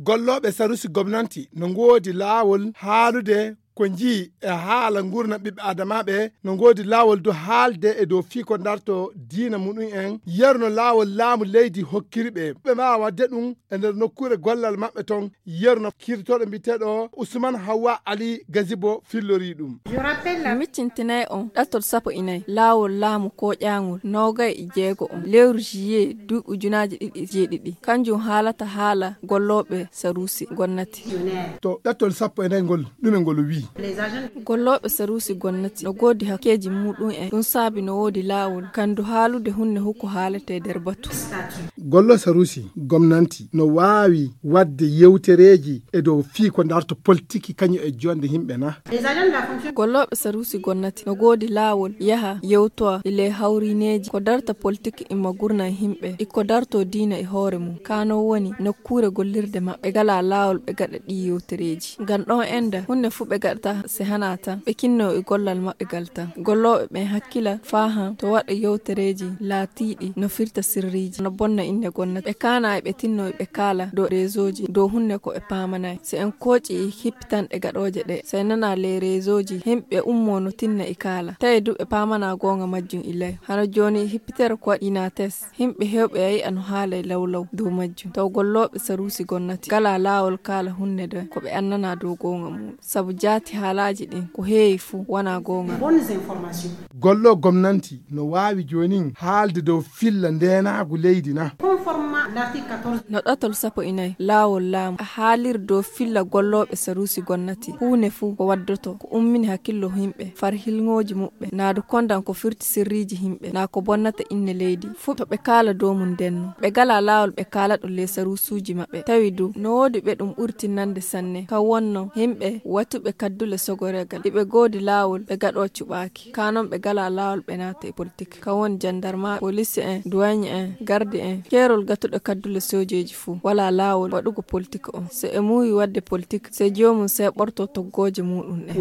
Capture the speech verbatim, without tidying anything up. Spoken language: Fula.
Gollooɓe sarusi gomnanti no ngoodi laawol haalude ko njii e haala nguurna ɓiɓɓe adamaaɓe, no ngoodi laawol du haalde e dow fii ko darto diina muɗum en, yeru no laawol laamu leydi hokkiri ɓe ɓe mbaawa waɗde ɗum e nder nokkuure gollal maɓɓe ton, yeru no kirtooɗo mbiyeteeɗo Usman Hawwa Ali Gazibo fillori ɗum. Miccintinay on ɗatol sappo e nayi laawol laamu kooƴaangol noogay e jeego on lewru juillet duuɓi ujunaaji ɗiɗi e jeeɗiɗi. Kanjum haalata haala gollooɓe sarusi gonnati. To ɗatol sappo e nayi ngol, ɗume ngol wii? Gollooɓe sarusi gonnati no goodi hakkeeji muɗum en, ɗum saabi no woodi laawol kandu haalude hunde huko haalete nder batu. Gollo sarusi gomnanti no waawi waɗde yewtereeji e dow fii ko darto politiki kañum e jonde yimɓe na? Gollooɓe sarusi gonnati no goodi laawol yaha yewtowa e ley hawrineeji ko darta politik imma gurna e yimɓe e ko darto diina e hoore mum. Kano woni nokkuure gollirde maɓɓe gala laawol ɓe gaɗa ɗi yewtereeji. Ngam ɗon enda hunde fuu ɓe gaɗata se hana tan ɓe kinno e gollal maɓɓe gal tan. Gollooɓe ɓen hakkila faa han to waɗa yewtereeji laatiiɗi no firta sirriiji no bonna innde gonnati. Ɓe kaana e ɓe tinno e ɓe kaala dow reesooji dow hunde ko ɓe paamanay. Se en kooƴi e hippitanɗe gaɗooje ɗe, se en nana ley reesooji himɓe ummo no tinna e kaala. Tawi du ɓe paamana goonga majjum ilay. Hano jooni hippitere ko waɗi na tes. Himɓe heewɓe a yi'a no haalay lawlaw dow majjum. Taw gollooɓe saruusi gonnati ngalaa laawol kaala hunde nden ko ɓe annanaa dow goonga mum. Sabu jaati haalaaji ɗin ko heewi fuu wanaa goonga. Golloo gomnanti no waawi joonin haalde dow filla ndeenaagu leydi na? No ɗatol sappo e nayi laawol laamu a haaliri dow filla gollooɓe saruusi gonnati huunde fuu ko waddoto ko ummini hakkillo himɓe far hilŋooji muɓɓe naa du kondan ko firti sirriiji himɓe naa ko bonnata inne leydi fuu to ɓe kaala dow mum ndenno ɓe ngalaa laawol ɓe kaala ɗum ley saruusuuji maɓɓe tawi du no woodi ɓe ɗum ɓuri tinnande sanne ka wonno himɓe watuɓe kaddule sogoreegal iɓe goodi laawol ɓe gaɗoo cuɓaaki ka non ɓe ngalaa laawol ɓe naata e politik ka woni jandarma polisi en duwaɲe en gardi en keerol gatuɗo kaddule soojeeji fuu walaa laawol waɗugo politik on so e muuyi waɗde politik se joomum seeɓorto toggooje muuɗum ɗen.